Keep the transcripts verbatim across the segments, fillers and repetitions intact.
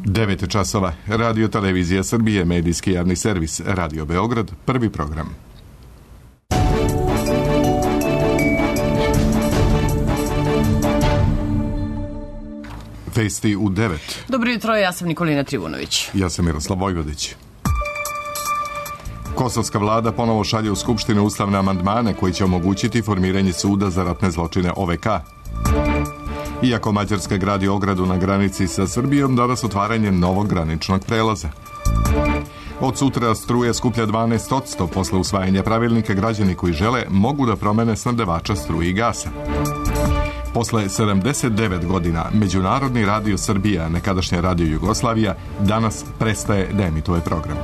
devet časova. Radio Televizija Srbije, medijski javni servis, Radio Beograd, prvi program. Vesti u devet. Dobro jutro, ja sam Nikolina Trivunović. Ja sam Miroslav Vojvodić. Kosovska vlada ponovo šalje u Skupštinu ustavne amandmane koji će omogućiti formiranje suda za ratne zločine O V K. Iako Mađarska gradi ogradu na granici sa Srbijom, danas otvaranje novog graničnog prelaza. Od sutra struje skuplja dvanaest posto posle usvajanja pravilnika. Građani koji žele mogu da promene snabdevača struje i gasa. Posle sedamdeset devet godina Međunarodni radio Srbija, nekadašnja Radio Jugoslavija, danas prestaje da emituje program.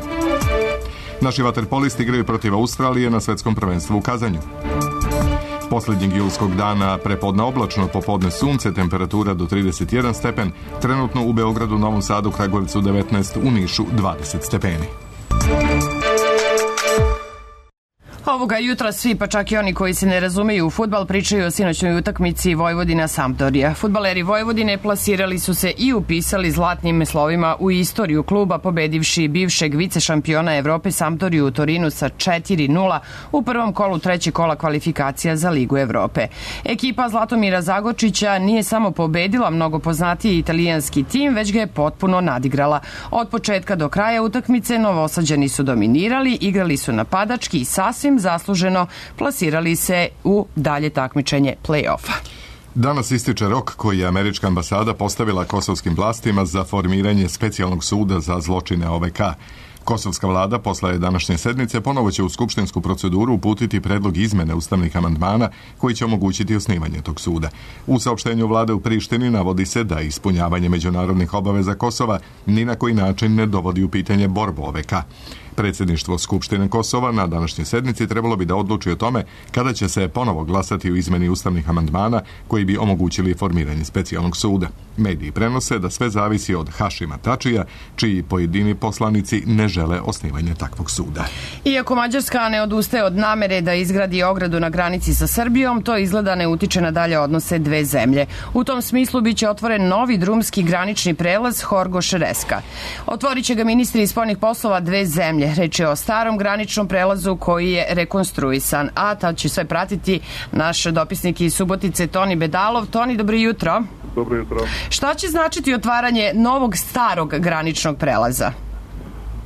Naši vaterpolisti igraju protiv Australije na svetskom prvenstvu u Kazanju. Poslednjeg julskog dana prepodne oblačno, popodne sunce, temperatura do trideset jedan stepen, trenutno u Beogradu, Novom Sadu, Kragujevcu devetnaest, u Nišu dvadeset stepeni. Ovoga jutra svi, pa čak i oni koji se ne razumeju u fudbal, pričaju o sinoćnoj utakmici Vojvodina-Sampdoria. Fudbaleri Vojvodine plasirali su se i upisali zlatnim slovima u istoriju kluba, pobedivši bivšeg vice šampiona Evrope Sampdoriju u Torinu sa četiri nula u prvom kolu trećeg kola kvalifikacija za Ligu Evrope. Ekipa Zlatomira Zagočića nije samo pobedila mnogo poznatiji italijanski tim, već ga je potpuno nadigrala. Od početka do kraja utakmice Novosađani su dominirali, igrali su napadački i sasvim zasluženo plasirali se u dalje takmičenje play-offa. Danas ističe rok koji je američka ambasada postavila kosovskim vlastima za formiranje specijalnog suda za zločine O V K. Kosovska vlada posle današnje sednice ponovo će u skupštinsku proceduru uputiti predlog izmene ustavnih amandmana koji će omogućiti osnivanje tog suda. U saopštenju vlade u Prištini navodi se da ispunjavanje međunarodnih obaveza Kosova ni na koji način ne dovodi u pitanje borbu O V K. Predsjedništvo Skupštine Kosova na današnjoj sednici trebalo bi da odluči o tome kada će se ponovo glasati u izmeni ustavnih amandmana koji bi omogućili formiranje specijalnog suda. Mediji prenose da sve zavisi od Hašima Tačija, čiji pojedini poslanici ne žele osnivanje takvog suda. Iako Mađarska ne odustaje od namere da izgradi ogradu na granici sa Srbijom, to izgleda ne utiče na dalje odnose dve zemlje. U tom smislu biće otvoren novi drumski granični prelaz Horgoš-Reska. Otvorit će ga ministri spoljnih poslova dve zemlje. Reč je o starom graničnom prelazu koji je rekonstruisan, a tad će sve pratiti naš dopisnik iz Subotice Toni Bedalov. Toni, dobro jutro. Dobro jutro. Šta će značiti otvaranje novog starog graničnog prelaza?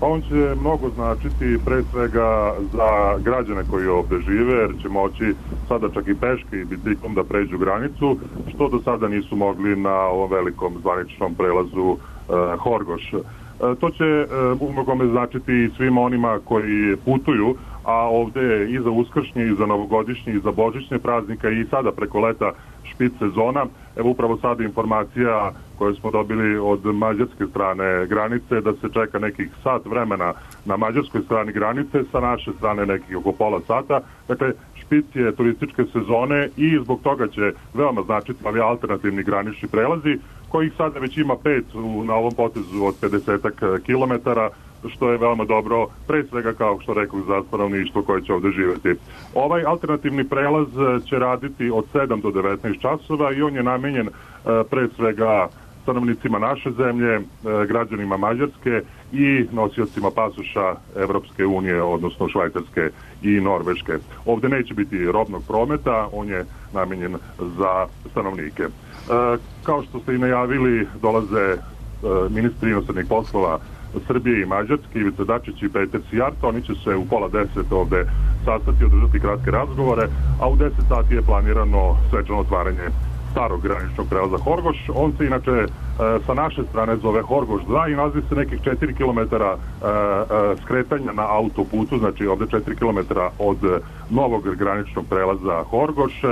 On će mnogo značiti pre svega za građane koji ovde žive, jer će moći sada čak i peške i biciklom da pređu granicu, što do sada nisu mogli na ovom velikom zvaničnom prelazu uh, Horgoš. To će u mnogome značiti i svima onima koji putuju, a ovde i za uskršnje, i za novogodišnje, i za božićne praznika, i sada preko leta špic sezona. Evo upravo sada informacija koju smo dobili od mađarske strane granice da se čeka nekih sat vremena na mađarskoj strani granice, sa naše strane nekih oko pola sata. Dakle, špic je turističke sezone i zbog toga će veoma značiti ovi alternativni granični prelazi, kojih sada već ima pet u, na ovom potezu od pedesetak kilometara, što je veoma dobro, pre svega kao što rekao za stanovništvo koje će ovde živeti. Ovaj alternativni prelaz će raditi od sedam do devetnaest časova i on je namenjen pre svega stanovnicima naše zemlje, građanima Mađarske i nosiocima pasoša Evropske unije, odnosno Švajcarske i Norveške. Ovde neće biti robnog prometa, on je namenjen za stanovnike. Kao što ste i najavili, dolaze ministri inostranih poslova Srbije i Mađarske, Ivica Dačić i Peter Sijarto. Oni će se u pola deset ovde sastati, održati kratke razgovore, a u deset sati je planirano svečano otvaranje starog graničnog prelaza Horgoš. On se inače e, sa naše strane zove Horgoš dva i nalazi se nekih četiri kilometara e, e, skretanja na autoputu, znači ovde četiri kilometra od novog graničnog prelaza Horgoš.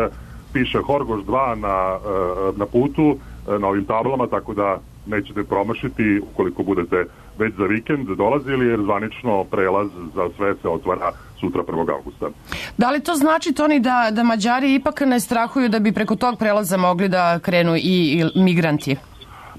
Piše Horgoš dva na, e, na putu, e, na ovim tablama, tako da nećete promašiti ukoliko budete već za vikend dolazili, jer zvanično prelaz za sve se otvara sutra prvog avgusta. Da li to znači, Toni, da, da Mađari ipak ne strahuju da bi preko tog prelaza mogli da krenu i, i migranti?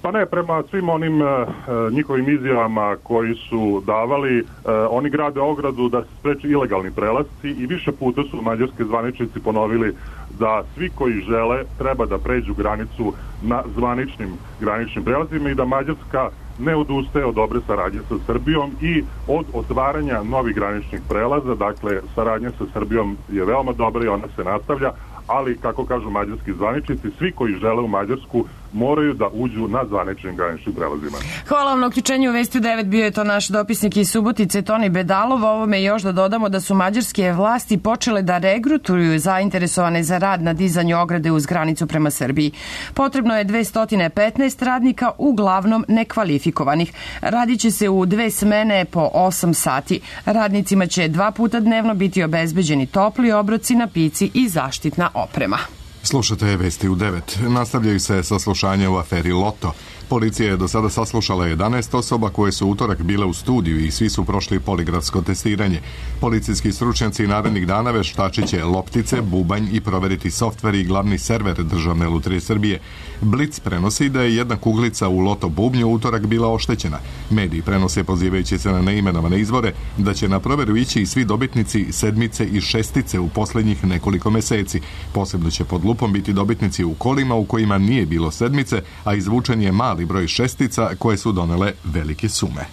Pa ne, prema svim onim e, njihovim izjavama koji su davali, e, oni grade ogradu da se spreči ilegalni prelasci i više puta su mađarski zvaničnici ponovili da svi koji žele treba da pređu granicu na zvaničnim graničnim prelazima i da Mađarska ne odustaje od dobre saradnje sa Srbijom i od otvaranja novih graničnih prelaza. Dakle, saradnja sa Srbijom je veoma dobra i ona se nastavlja, ali, kako kažu mađarski zvaničnici, svi koji žele u Mađarsku moraju da uđu na zvaničnim graničnim prelazima. Hvala vam na uključenju u Vesti u devet. Bio je to naš dopisnik iz Subotice, Toni Bedalov. Ovome još da dodamo da su mađarske vlasti počele da regrutuju zainteresovane za rad na dizanju ograde uz granicu prema Srbiji. Potrebno je dvesta petnaest radnika, uglavnom nekvalifikovanih. Radit će se u dve smene po osam sati. Radnicima će dva puta dnevno biti obezbeđeni topli obroci, napici i zaštitna oprema. Slušate Vesti u devet. Nastavljaju se saslušanje u aferi Loto. Policija je do sada saslušala jedanaest osoba koje su utorak bile u studiju i svi su prošli poligrafsko testiranje. Policijski stručnjaci narednih dana veštačit će loptice, bubanj i proveriti softver i glavni server Državne lutrije Srbije. Blic prenosi da je jedna kuglica u Loto bubnju utorak bila oštećena. Mediji prenose, pozivajući se na neimenovane izvore, da će na proveru ići i svi dobitnici sedmice i šestice u poslednjih nekoliko meseci. Posebno će pod lupom biti dobitnici u kolima u kojima nije bilo sedmice, a izvučen je mali broj šestica koje su donele velike sume.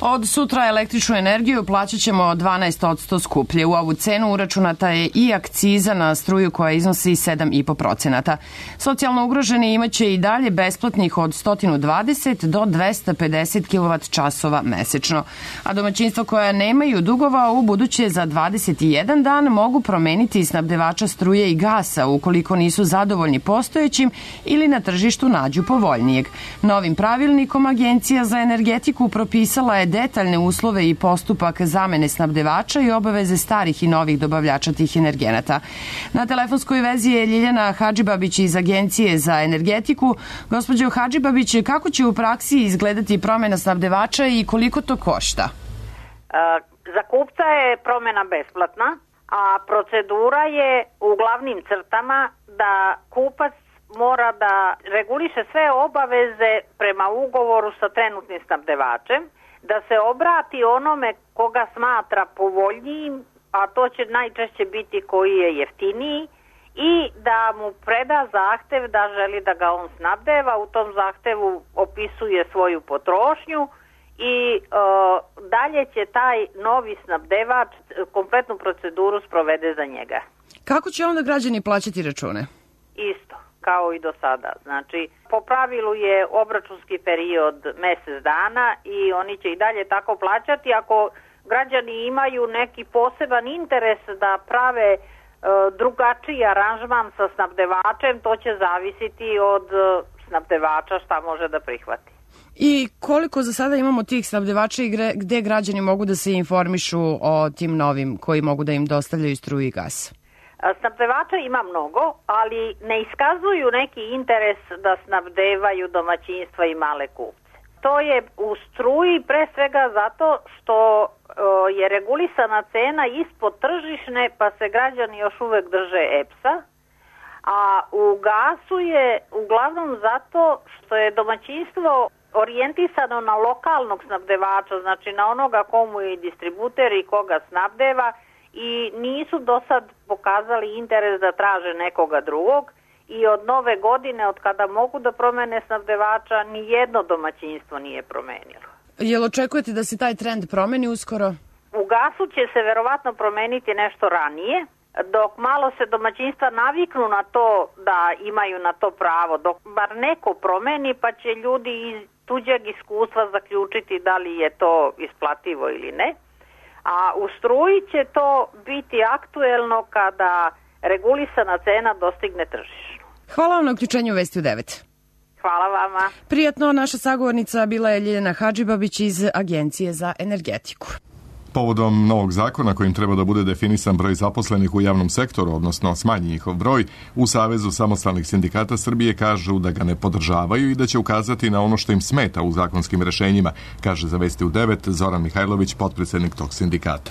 Od sutra električnu energiju plaćat ćemo dvanaest posto skuplje. U ovu cenu uračunata je i akciza na struju koja iznosi sedam i po procenata. Socijalno ugroženi imaće i dalje besplatnih od sto dvadeset do dvesta pedeset kilovat časova mesečno. A domaćinstva koja nemaju dugova u buduće za dvadeset jedan dan mogu promeniti snabdevača struje i gasa ukoliko nisu zadovoljni postojećim ili na tržištu nađu povoljnijeg. Novim pravilnikom Agencija za energetiku propisala je detaljne uslove i postupak zamene snabdevača i obaveze starih i novih dobavljača tih energenata. Na telefonskoj vezi je Ljiljana Hadžibabić iz Agencije za energetiku. Gospođo Hadžibabić, kako će u praksi izgledati promena snabdevača i koliko to košta? Za kupca je promena besplatna, a procedura je u glavnim crtama da kupac mora da reguliše sve obaveze prema ugovoru sa trenutnim snabdevačem, da se obrati onome koga smatra povoljnijim, a to će najčešće biti koji je jeftiniji, i da mu preda zahtev da želi da ga on snabdeva. U tom zahtevu opisuje svoju potrošnju i e, dalje će taj novi snabdevač kompletnu proceduru sprovede za njega. Kako će onda građani plaćati račune? Isto kao i do sada. Znači, po pravilu je obračunski period mesec dana i oni će i dalje tako plaćati. Ako građani imaju neki poseban interes da prave e, drugačiji aranžman sa snabdevačem, to će zavisiti od e, snabdevača šta može da prihvati. I koliko za sada imamo tih snabdevača i gde građani mogu da se informišu o tim novim koji mogu da im dostavljaju struju i gas? Snabdevača ima mnogo, ali ne iskazuju neki interes da snabdevaju domaćinstva i male kupce. To je u struji pre svega zato što je regulisana cena ispod tržišne, pa se građani još uvek drže E P S-a, a u gasu je uglavnom zato što je domaćinstvo orijentisano na lokalnog snabdevača, znači na onoga komu je distributer i koga snabdeva, i nisu do sad pokazali interes da traže nekoga drugog, i od nove godine, od kada mogu da promene snabdevača, ni jedno domaćinstvo nije promenilo. Jel očekujete da se taj trend promeni uskoro? U gasu će se verovatno promeniti nešto ranije, dok malo se domaćinstva naviknu na to da imaju na to pravo, dok bar neko promeni, pa će ljudi iz tuđeg iskustva zaključiti da li je to isplativo ili ne. A u struji će to biti aktuelno kada regulisana cena dostigne tržišnu. Hvala vam na uključenju u Vesti u devet. Hvala vama. Prijatno, naša sagovornica bila je Ljiljana Hadžibabić iz Agencije za energetiku. Povodom novog zakona kojim treba da bude definisan broj zaposlenih u javnom sektoru, odnosno smanji njihov broj, u Savezu samostalnih sindikata Srbije kažu da ga ne podržavaju i da će ukazati na ono što im smeta u zakonskim rešenjima, kaže za Vesti u devet Zoran Mihajlović, potpredsednik tog sindikata.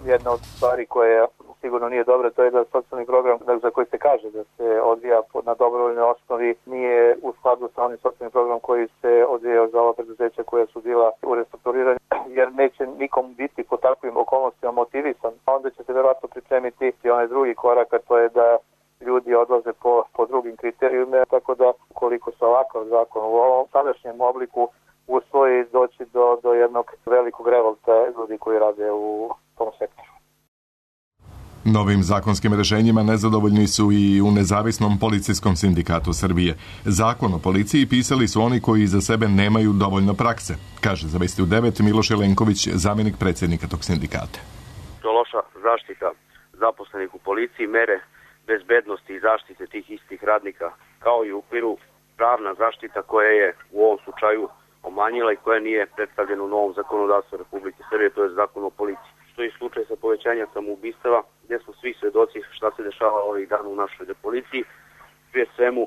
Jedna od stvari koja sigurno nije dobra, to je da socijalni program za koji se kaže da se odvija na dobrovoljnoj osnovi nije u skladu sa onim socijalnim programom koji se odvijao za ova preduzeća koja su bila u restrukturiranju, jer neće nikom biti po takvim okolnostima motivisan. Onda će se verovatno pripremiti i onaj drugi korak, a to je da ljudi odlaze po, po drugim kriterijima, tako da ukoliko se ovakav zakon u ovom sadašnjem obliku usvoji doći do, do jednog velikog revolta ljudi koji rade u tom sektoru. Novim zakonskim rešenjima nezadovoljni su i u Nezavisnom policijskom sindikatu Srbije. Zakon o policiji pisali su oni koji za sebe nemaju dovoljno prakse, kaže za Vesti u devet Miloš Jelenković, zamjenik predsjednika tog sindikata. To loša zaštita zaposlenih u policiji, mere bezbednosti i zaštite tih istih radnika, kao i u okviru pravna zaštita koja je u ovom slučaju omanjila i koja nije predstavljena u novom zakonodavstvu Republike Srbije, to je zakon o policiji. Što je slučaj sa povećanjem samoubistava, gdje smo svi svedoci šta se dešava ovih dana u našoj policiji. Prije svemu,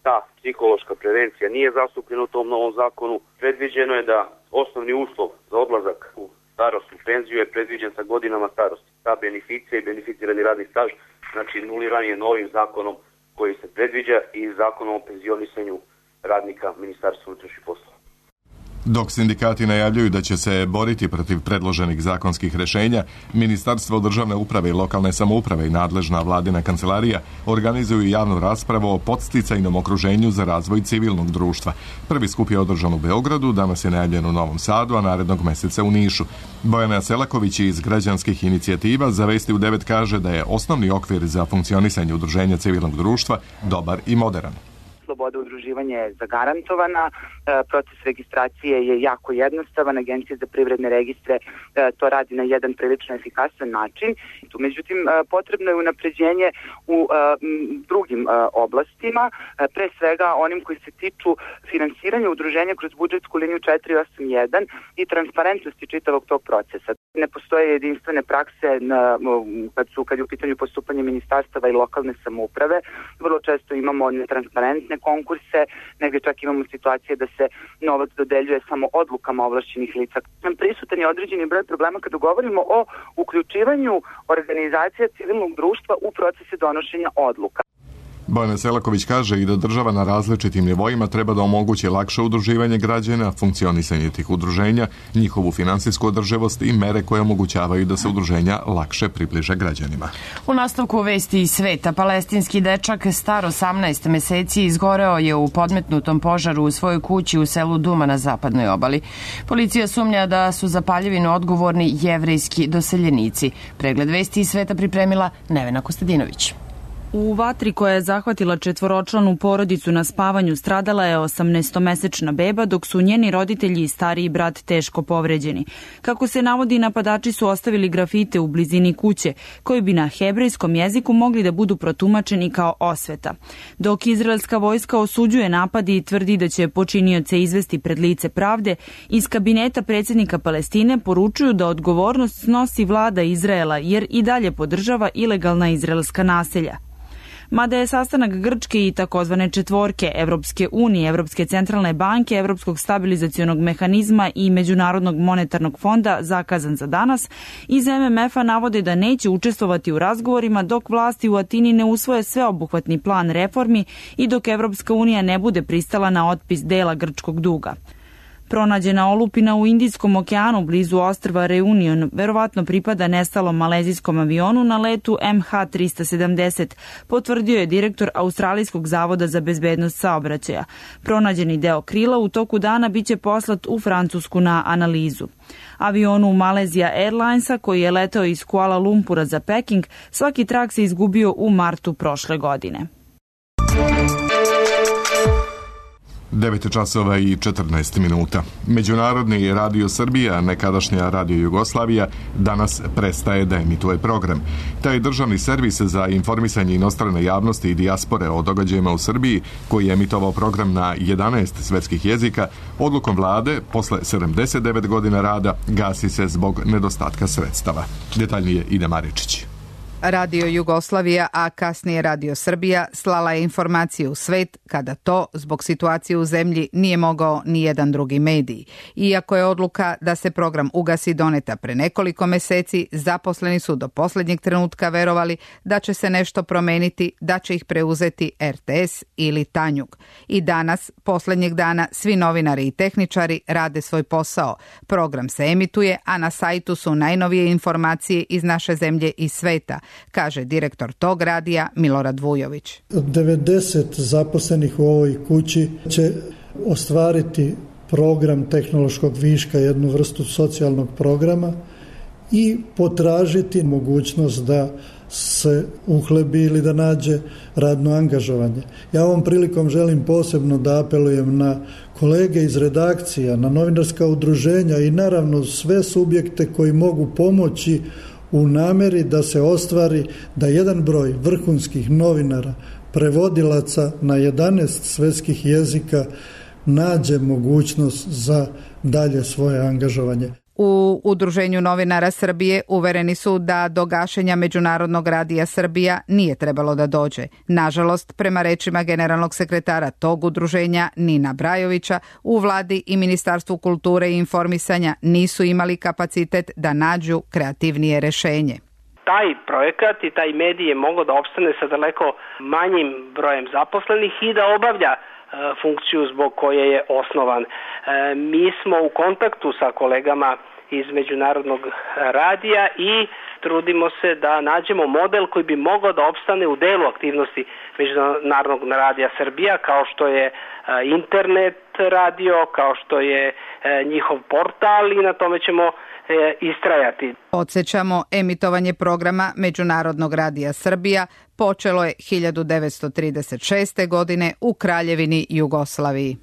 ta psihološka prevencija nije zastupljena u tom novom zakonu. Predviđeno je da osnovni uslov za odlazak u starosnu penziju je predviđen sa godinama starosti. Ta beneficija i beneficirani radni staž, znači nuliran je novim zakonom koji se predviđa i zakonom o penzionisanju radnika Ministarstva unutrašnjih poslova. Dok sindikati najavljuju da će se boriti protiv predloženih zakonskih rešenja, Ministarstvo državne uprave i lokalne samouprave i nadležna vladina kancelarija organizuju javnu raspravu o podsticajnom okruženju za razvoj civilnog društva. Prvi skup je održan u Beogradu, danas je najavljen u Novom Sadu, a narednog meseca u Nišu. Bojana Selaković iz Građanskih inicijativa za Vesti u devet kaže da je osnovni okvir za funkcionisanje udruženja civilnog društva dobar i moderan. Sloboda udruživanja je zagarantovana, proces registracije je jako jednostavan, Agencija za privredne registre to radi na jedan prilično efikasan način. Međutim, potrebno je unapređenje u drugim oblastima, pre svega onim koji se tiču finansiranja udruženja kroz budžetsku liniju četiri osam jedan i transparentnosti čitavog tog procesa. Ne postoje jedinstvene prakse na, kad, su, kad je u pitanju postupanje ministarstava i lokalne samouprave. Vrlo često imamo netransparentne konkurse, negdje čak imamo situacije da se novac dodeljuje samo odlukama ovlašćenih lica. Prisutan je određeni broj problema kada govorimo o uključivanju organizacija civilnog društva u procese donošenja odluka. Bojana Selaković kaže i da država na različitim nivoima treba da omogući lakše udruživanje građana, funkcionisanje tih udruženja, njihovu finansijsku održivost i mere koje omogućavaju da se udruženja lakše približe građanima. U nastavku Vesti iz sveta, palestinski dečak star osamnaest meseci izgoreo je u podmetnutom požaru u svojoj kući u selu Duma na zapadnoj obali. Policija sumnja da su za paljevinu odgovorni jevrejski doseljenici. Pregled Vesti iz sveta pripremila Nevena Kostadinović. U vatri koja je zahvatila četvoročlanu porodicu na spavanju stradala je osamnaestomesečna beba, dok su njeni roditelji i stariji brat teško povređeni. Kako se navodi, napadači su ostavili grafite u blizini kuće, koji bi na hebrejskom jeziku mogli da budu protumačeni kao osveta. Dok izraelska vojska osuđuje napadi i tvrdi da će počinioce izvesti pred lice pravde, iz kabineta predsjednika Palestine poručuju da odgovornost snosi vlada Izraela, jer i dalje podržava ilegalna izraelska naselja. Mada je sastanak Grčke i takozvane četvorke Evropske unije, Evropske centralne banke, Evropskog stabilizacionog mehanizma i Međunarodnog monetarnog fonda zakazan za danas, iz em em ef-a navode da neće učestvovati u razgovorima dok vlasti u Atini ne usvoje sveobuhvatni plan reformi i dok Evropska unija ne bude pristala na otpis dela grčkog duga. Pronađena olupina u Indijskom okeanu blizu ostrva Reunion verovatno pripada nestalom malezijskom avionu na letu em ha trista sedamdeset, potvrdio je direktor Australijskog zavoda za bezbednost saobraćaja. Pronađeni deo krila u toku dana biće poslat u Francusku na analizu. Avionu Malaysia Airlinesa, koji je letao iz Kuala Lumpura za Peking, svaki trak se izgubio u martu prošle godine. devet časova i četrnaest minuta. Međunarodni radio Srbija, nekadašnja radio Jugoslavija, danas prestaje da emituje program. Taj državni servis za informisanje inostrane javnosti i dijaspore o događajima u Srbiji, koji je emitovao program na jedanaest svetskih jezika, odlukom vlade, posle sedamdeset devet godina rada, gasi se zbog nedostatka sredstava. Detaljnije Ida Maričić. Radio Jugoslavija, a kasnije Radio Srbija, slala je informacije u svet kada to, zbog situacije u zemlji, nije mogao ni jedan drugi medij. Iako je odluka da se program ugasi doneta pre nekoliko meseci, zaposleni su do posljednjeg trenutka verovali da će se nešto promeniti, da će ih preuzeti er te es ili Tanjug. I danas, posljednjeg dana, svi novinari i tehničari rade svoj posao. Program se emituje, a na sajtu su najnovije informacije iz naše zemlje i sveta, kaže direktor tog radija Milorad Vujović. devedeset zaposlenih u ovoj kući će ostvariti program tehnološkog viška, jednu vrstu socijalnog programa i potražiti mogućnost da se uhlebi ili da nađe radno angažovanje. Ja ovom prilikom želim posebno da apelujem na kolege iz redakcija, na novinarska udruženja i naravno sve subjekte koji mogu pomoći u nameri da se ostvari da jedan broj vrhunskih novinara, prevodilaca na jedanaest svetskih jezika nađe mogućnost za dalje svoje angažovanje. U Udruženju novinara Srbije uvereni su da do gašenja Međunarodnog radija Srbija nije trebalo da dođe. Nažalost, prema rečima generalnog sekretara tog udruženja Nina Brajovića, u vladi i Ministarstvu kulture i informisanja nisu imali kapacitet da nađu kreativnije rešenje. Taj projekat i taj medij je mogao da opstane sa daleko manjim brojem zaposlenih i da obavlja funkciju zbog koje je osnovan. Mi smo u kontaktu sa kolegama iz Međunarodnog radija i trudimo se da nađemo model koji bi mogao da opstane u delu aktivnosti Međunarodnog radija Srbija, kao što je internet radio, kao što je njihov portal i na tome ćemo istrajati. Podsjećamo, emitovanje programa Međunarodnog radija Srbija počelo je hiljadu devetsto trideset šeste. godine u Kraljevini Jugoslaviji.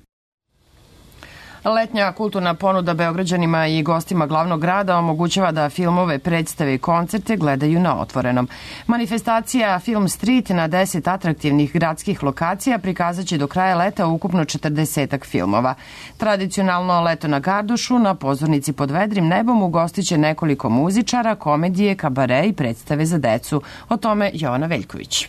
Letnja kulturna ponuda Beograđanima i gostima glavnog grada omogućava da filmove, predstave i koncerte gledaju na otvorenom. Manifestacija Film Street na deset atraktivnih gradskih lokacija prikazat će do kraja leta ukupno četrdesetak filmova. Tradicionalno leto na Gardušu na pozornici pod vedrim nebom ugostit će nekoliko muzičara, komedije, kabare i predstave za decu. O tome Jovana Veljković.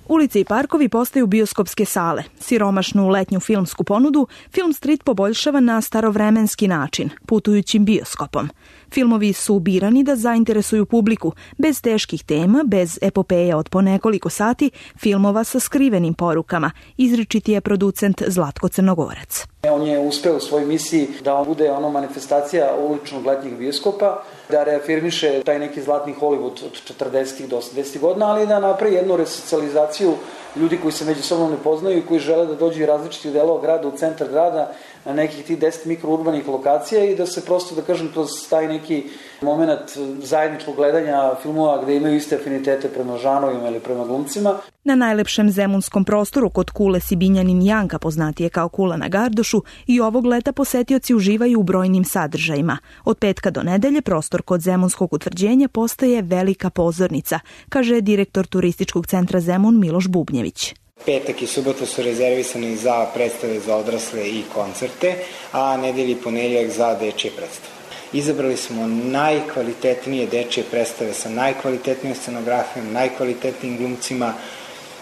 Ulice i parkovi postaju bioskopske sale. Siromašnu letnju filmsku ponudu Film Street poboljšava na starovremenski način, putujućim bioskopom. Filmovi su birani da zainteresuju publiku, bez teških tema, bez epopeja od po nekoliko sati, filmova sa skrivenim porukama, izričiti je producent Zlatko Crnogorac. On je uspeo u svojoj misiji da on bude ono manifestacija uličnog letnjeg bioskopa, da reafirmiše taj neki zlatni Hollywood od četrdesetih do osamdesetih godina, ali da napravi jednu resocijalizaciju ljudi koji se međusobno ne poznaju i koji žele da dođu iz različitih delova grada u centar grada, na nekih tih deset mikrourbanih lokacija i da se prosto, da kažem, kroz taj neki moment zajedničkog gledanja filmova gde imaju iste afinitete prema žanovima ili prema glumcima. Na najlepšem zemunskom prostoru kod kule Sibinjanin Janka, poznatije kao kula na Gardošu, i ovog leta posetioci uživaju u brojnim sadržajima. Od petka do nedelje prostor kod Zemunskog utvrđenja postaje velika pozornica, kaže direktor turističkog centra Zemun Miloš Bubnjević. Petak i subota su rezervisani za predstave za odrasle i koncerte, a nedelji i ponedeljak za dečje predstave. Izabrali smo najkvalitetnije dečje predstave sa najkvalitetnijom scenografijom, najkvalitetnijim glumcima,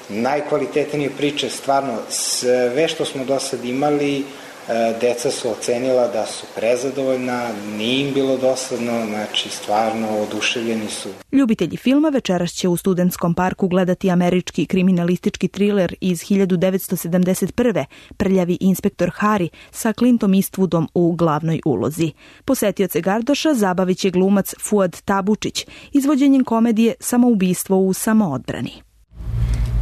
najkvalitetnije priče. Stvarno, sve što smo do sad imali, deca su ocenila da su prezadovoljna, nije im bilo dosadno, znači stvarno oduševljeni su. Ljubitelji filma večeras će u Studentskom parku gledati američki kriminalistički triler iz hiljadu devetsto sedamdeset prve. Prljavi inspektor Harry sa Clintom Eastwoodom u glavnoj ulozi. Posetioce Gardoša zabavit će glumac Fuad Tabučić izvođenjem komedije Samoubistvo u samoodbrani.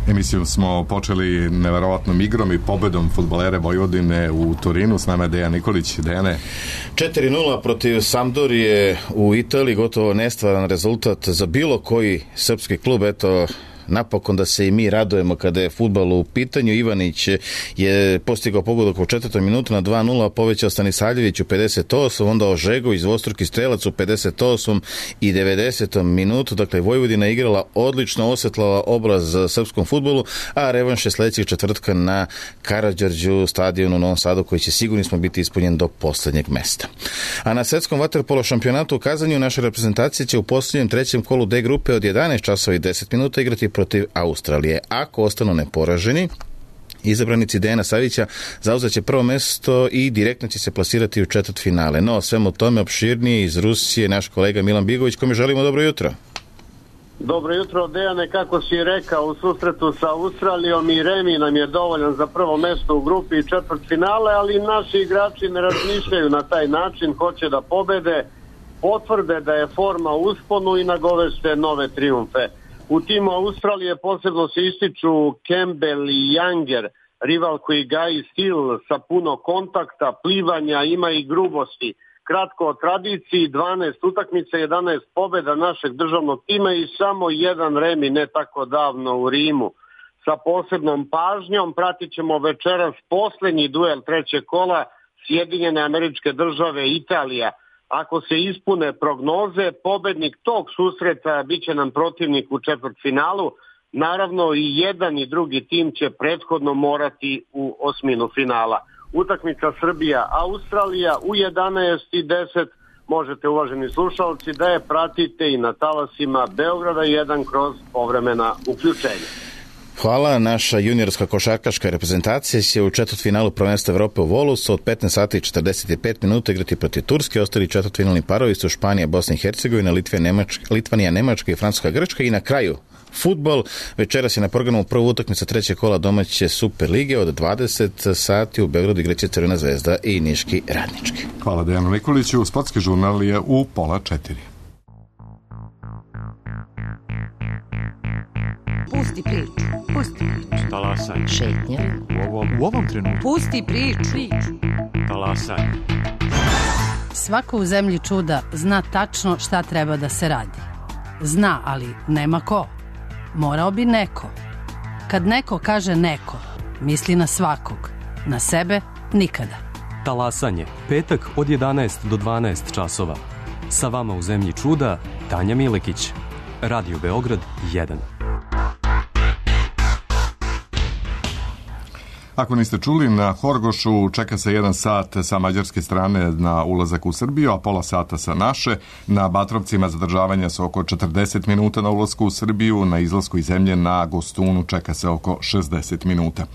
Emisiju smo počeli neverovatnom igrom i pobedom fudbalere Vojvodine u Turinu. S nama je Dejan Nikolić. Dejane. četiri nula protiv Sampdorije u Italiji, gotovo nestvaran rezultat za bilo koji srpski klub. Eto, napokon da se i mi radujemo kada je fudbal u pitanju. Ivanić je postigao pogodak u četvrtom minutu na dva nula, povećao Stanisavljević u pedeset osmom, onda Ožegović, dvostruki strelac u pedeset osmom i devedesetom minutu. Dakle, Vojvodina igrala odlično, osvetlala obraz srpskom fudbalu, a revanš je sledećeg četvrtka na Karađorđu, stadionu u Novom Sadu, koji će sigurni smo biti ispunjen do poslednjeg mesta. A na svetskom vaterpolo šampionatu u Kazanju naša reprezentacija će u poslednjem trećem kolu D grupe od jedanaest časova i deset minuta igrati protiv Australije. Ako ostanu neporaženi, izabranici Dejana Savića zauzet će prvo mesto i direktno će se plasirati u četvrtfinale. No, svemu tome opširnije iz Rusije naš kolega Milan Bigović, kome želimo dobro jutro. Dobro jutro, Dejane, kako si rekao, u susretu sa Australijom i remi nam je dovoljan za prvo mesto u grupi i četvrtfinale, ali naši igrači ne razmišljaju na taj način, hoće da pobede, potvrde da je forma u usponu i nagovešte nove trijumfe. U timu Australije posebno se ističu Campbell i Younger, rival koji gaji stil sa puno kontakta, plivanja, ima i grubosti. Kratko o tradiciji, dvanaest utakmica, jedanaest pobjeda našeg državnog tima i samo jedan remi ne tako davno u Rimu. Sa posebnom pažnjom pratit ćemo večeras posljednji duel trećeg kola Sjedinjene Američke Države Italija. Ako se ispune prognoze, pobednik tog susreta bit će nam protivnik u četvrtfinalu. Naravno i jedan i drugi tim će prethodno morati u osminu finala. Utakmica Srbija-Australija u jedanaest i deset možete, uvaženi slušalci, da je pratite i na talasima Beograda jedan kroz povremena uključenja. Hvala. Naša juniorska košarkaška reprezentacija će u četvrtfinalu prvenstva Evrope u Volusu od petnaest sati i četrdeset pet minuta igrati protiv Turske. Ostali četvrtfinalni parovi su Španija, Bosna i Hercegovina, Litvanija, Nemačka, Litvanija, Nemačka i Francuska, Grčka i na kraju fudbal. Večeras je na programu prva utakmica trećeg kola domaće Super lige od dvadeset sati u Beogradu igraće Crvena zvezda i Niški Radnički. Hvala Dejanu Nikoliću. Sportski žurnal je u pola četiri. Pusti priču, pusti priču. Talasaj. Šetnja. U ovom, u ovom trenutku. Pusti priču. Talasaj. Svako u zemlji čuda zna tačno šta treba da se radi. Zna, ali nema ko. Morao bi neko. Kad neko kaže neko, misli na svakog. Na sebe nikada. Talasanje. Petak od jedanaest do dvanaest časova. Sa vama u zemlji čuda Tanja Milekić. Radio Beograd jedan. Ako niste čuli, na Horgošu čeka se jedan sat sa mađarske strane na ulazak u Srbiju, a pola sata sa naše. Na Batrovcima zadržavanja su oko četrdeset minuta na ulasku u Srbiju, na izlasku iz zemlje na Gostunu čeka se oko šezdeset minuta.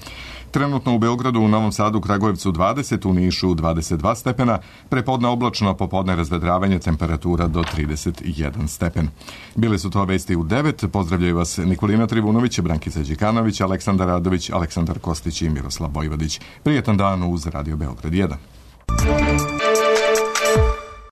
Trenutno u Beogradu, u Novom Sadu, Kragujevcu dvadeset, u Nišu dvadeset dva stepena, prepodne oblačno, popodne razvedravanje, temperatura do trideset jedan stepen. Bile su to vesti u devet. Pozdravljaju vas Nikolina Trivunović, Brankica Đikanović, Aleksandar Radović, Aleksandar Kostić i Miroslav Vojvodić. Prijetan dan uz Radio Beograd jedan.